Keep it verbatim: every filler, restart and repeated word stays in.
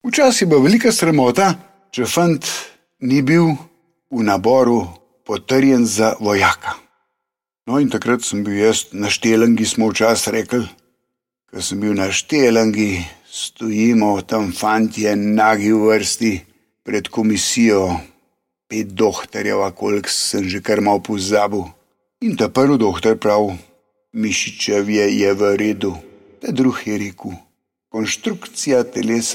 Včasih bo velika sramota, če fant ni bil v naboru potrjen za vojaka. No, in takrat sem bil jaz na štelangi, smo včasih rekli, ko sem bil na štelangi, stojimo tam fantje nagi v vrsti pred komisijo, pet dohtarjev, a koliko sem že kar malo pozabil. In ta prvi dohtar prav, mišičevje je v redu. Ta drugi je rekel, konštrukcija telesa